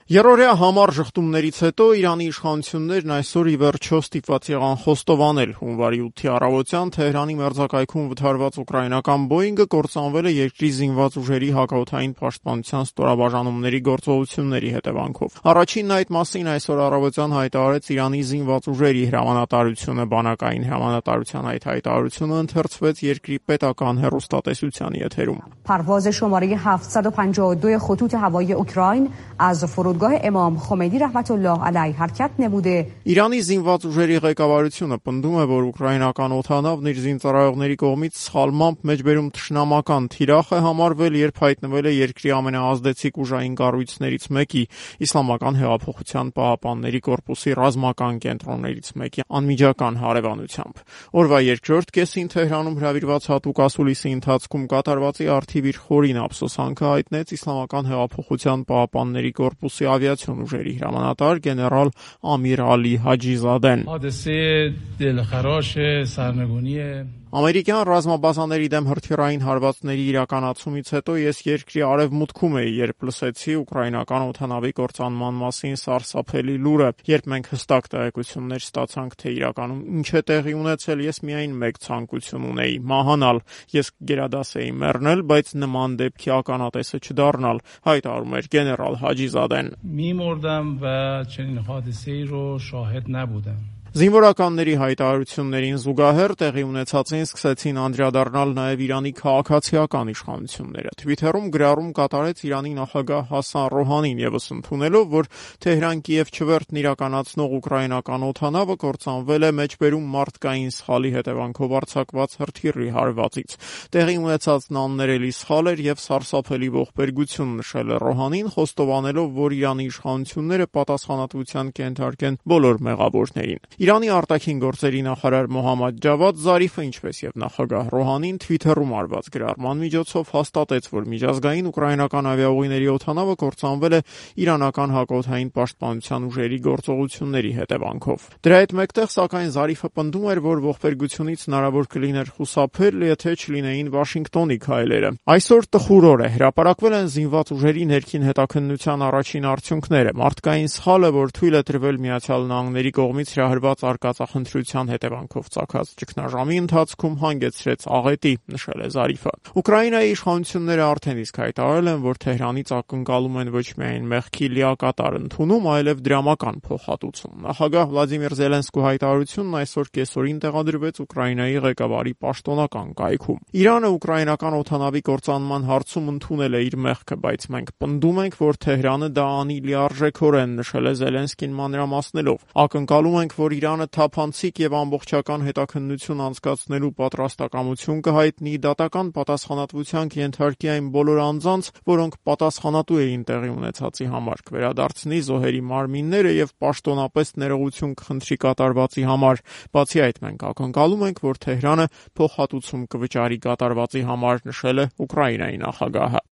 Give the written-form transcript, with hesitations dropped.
Երրորդյա համառ ժխտումներից հետո Իրանի իշխանություններն այսօր ի վերջո ստիպված եղան խոստովանել հունվարի 8-ի առավոտյան Թեհրանի մերձակայքում վթարված ուկրաինական Բոինգը կործանվել է երկրի զինված ուժերի հակաօդային պաշտպանության ստորաբաժանումների գործողությունների հետևանքով։ Առաջինն այդ մասին այսօր առավոտյան հայտարարեց Իրանի զինված ուժերի հրամանատարությունը, բանակային հրամանատարության այդ հայտարարությունը ընթերցվեց երկրի պետական հեռուստատեսության եթերում։ پرواز شماره 752 خطوط هوایی اوکراین از فرودگاه امام خمینی رحمت الله علیه حرکت نموده. Իրանի զինված ուժերի ղեկավարությունը պնդում է, որ ուկրաինական օդանավն իր զինծառայողների կողմից սխալմամբ մեջբերում թշնամական թիրախ է համարվել, երբ հայտնվել է երկրի ամենաազդեցիկ ուժային կառույցներից մեկի, Իսլամական հեղափոխության պահապանների կորպուսի ռազմական կենտրոններից մեկի անմիջական հարևանությամբ։ Օրվա երկրորդ կեսին Թեհրանում հրավիրված հատուկ ասուլիսի ընթացքում կատարվածի առթիվ իր խորին ափսոսանքը հայտնեց Իսլամական հեղափոխության պահապանների կորպուսի ավիացիոն ուժերի հրամանատար գեներալ Ամիր Ալի Հաջիզադեն։ Ամերիկյան ռազմաբազաների դեմ հրթիռային հարվածների իրականացումից հետո ես երկրի արևմուտքում էի, երբ լսեցի ուկրաինական օդանավի կործանման մասին սարսափելի լուրը, երբ մենք հստակ տեղեկություններ ստացանք, թե իրականում ինչ է տեղի ունեցել, ես միայն մեկ ցանկություն ունեի՝ մահանալ։ Ես գերադաս էի մեռնել, բայց նման դեպքի ականատեսը չդառնալ, հայտարարում էր գեներալ Հաջիզադեն։ Զինվորականների հայտարարություններին զուգահեռ տեղի ունեցածին սկսեցին անդրադառնալ նաև Իրանի քաղաքացիական իշխանությունները։ Թվիթերում գրառում կատարեց Իրանի նախագահ Հասան Ռոհանին, ևս ընդունելով, որ Թեհրան-Կիև չվերթն իրականացնող ուկրաինական օդանավը կործանվել է մեջբերում մարդկային սխալի հետևանքով արձակված հրթիռի հարվածից։ Տեղի ունեցածն աններելի սխալ էր եւ սարսափելի ողբերգություն, նշել է Ռոհանին, խոստովանելով, որ Իրանի իշխանությունները պատասխանատվության կենթարկեն բոլոր մեղավորներին։ Իրանի արտաքին գործերի նախարար Մոհամմադ Ջավադ Զարիֆը, ինչպես եւ նախագահ Ռոհանին, Թվիթերում արված գրառման միջոցով հաստատեց, որ միջազգային ուկրաինական ավիաուղիների օդանավը կործանվել է իրանական հակաօդային պաշտպանության ուժերի գործողությունների հետևանքով։ Դրա հետ մեկտեղ, սակայն, Զարիֆը պնդում էր, որ ողբերգությունից հնարավոր կլիներ խուսափել, եթե չլինեին Վաշինգտոնի քայլերը։ Այսօր տխուր օր է, հրապարակվել են զինված ուժերի ներքին հետաքննության առաջին արդյունքները։ Մարդկային սխալը, որ թույլ է տրվել Միացյալ Նահանգների կողմից հրահրված արկածախնդրության հետևանքով ծագած ճգնաժամի ընթացքում հանգեցրեց աղետի, նշել է Զարիֆը։ Ուկրաինայի իշխանությունները արդեն իսկ հայտարարել են, որ Թեհրանից ակնկալում են ոչ միայն մեղքի լիակատար ընդունում, այլև դրամական փոխհատուցում։ Նախագահ Վլադիմիր Զելենսկու հայտարարությունն այսօր կեսօրին տեղադրվեց Ուկրաինայի ղեկավարի պաշտոնական կայքում։ Իրանը ուկրաինական օդանավի կործանման հարցում ընդունել է իր մեղքը, բայց մենք պնդում ենք, որ Թեհրանը դա անի լիարժեքորեն, նշել է Զելենսկին մանրամասնելով։ Ակնկալում ենք, որ Իրանը թափանցիկ եւ ամբողջական հետաքննություն անցկացնելու պատրաստակամություն կհայտնի, դատական պատասխանատվության կենթարկի այն բոլոր անձանց, որոնք պատասխանատու էին տեղի ունեցածի համար, կվերադարձնի զոհերի մարմինները եւ պաշտոնապես ներողություն կխնդրի կատարվածի համար։ Բացի այդ, մենք ակնկալում ենք, որ Թեհրանը փոխհատուցում կվճարի կատարվածի համար, նշել է Ուկրաինայի նախագահը։